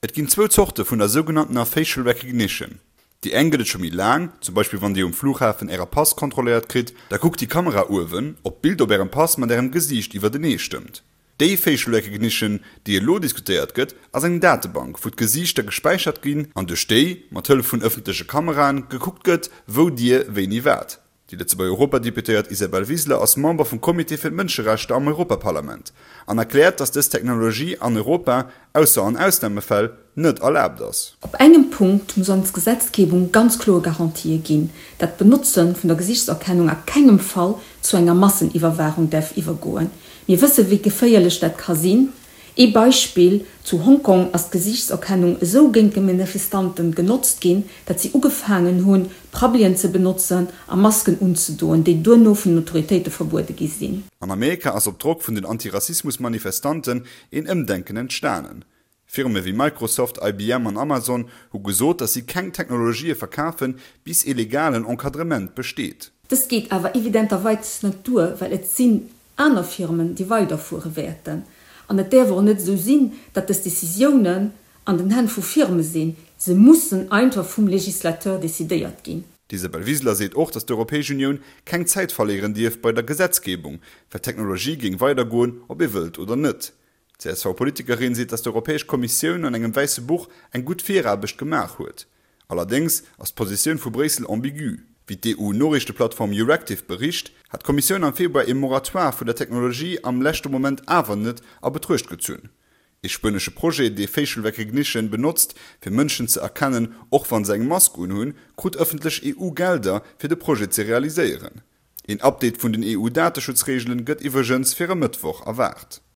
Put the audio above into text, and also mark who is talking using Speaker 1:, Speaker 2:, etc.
Speaker 1: Et ginn zwou Zorte vun der sougenanntener Facial Recognition. Déi eng gëtt et scho méi laang, zum Beispill wann Dir um Flughafen Äre Pass kontrolléiert kritt, da kuckt déi Kamera uewen, ob d'Bild op Ärem Pass mat Ärem Gesiicht iwwertenee stëmmt. Déi Facial Recognition, déi elo diskutéiert gëtt, ass eng Datebank, wou d'Gesiichter gespäichert ginn an duerch déi, mat Hëllef vun ëffentleche Kameraen, gekuckt gëtt, wou Dir wéini waart. Déi Lëtzebuerger Europadeputéiert Isabel Wiseler ass Member vum Comité fir d'Mënscherechter am Europaparlament an erkläert, datt dës Technologie an Europa, ausser an Ausnamefäll, net erlaabt ass.
Speaker 2: Op engem Punkt muss ons Gesetzgebung ganz kloer Garantië ginn, dat d'Benotze vun der Gesichtserkennung a kengem Fall zu enger Masseniwwerwaachung däerf iwwergoen. Mir wësse wéi geféierlech dat ka sinn. Ee Beispill, Zu Hongkong ass d'Gesiichtserkennung esou géint d'Manifestanten genotzt ginn, dat si ugefaangen hunn, Prabbelien ze benotzen a Masken unzedoen, déi duerno vun den Autoritéite verbuede gi sinn.
Speaker 1: An Amerika ass op Drock vun den Antirassismus-Manifestanten een Ëmdenken entstanen. Firme wéi Microsoft, IBM an Amazon hu gesot, datt si keng Technologië verkafen, bis ee legalen Encadrement besteet.
Speaker 2: Dëst geet awer evidenterweis net duer, well et sinn aner Firmen, déi weiderfuere wäerten. An et däerf och net esou sinn, datt dës Décisiounen an den Hänn vu Firme sinn. Se mussen einfach vum Législateur décidéiert ginn.
Speaker 1: D'Isabel Wiseler seet och, datt d'Europäesch Unioun keng Zäit verléieren dierf bei der Gesetzgebung, well d'Technologie géing weidergoen, ob ee wëllt oder net. D'CSV-Politikerin seet, datt d'Europäesch Kommissioun an engem wäisse Buch eng gutt Viraarbecht gemaach huet. Allerdéngs ass d'Positioun vu Bréissel ambigu. Wéi d'EU-Noriichteplattform Euractiv bericht, hat d'Kommissioun am Februar ee Moratoire vun der Technologie am leschte Moment awer net a Betruecht gezunn. Ee spuenesche Projet, dee Facial Recognition benotzt, fir Mënschen ze erkennen, och wa se eng Mask unhunn, krut ëffentlech EU-Gelder, fir de Projet ze realiséieren. Een Update vun den EU-Dateschutzreegelen gëtt iwwregens fir e Mëttwoch erwaart.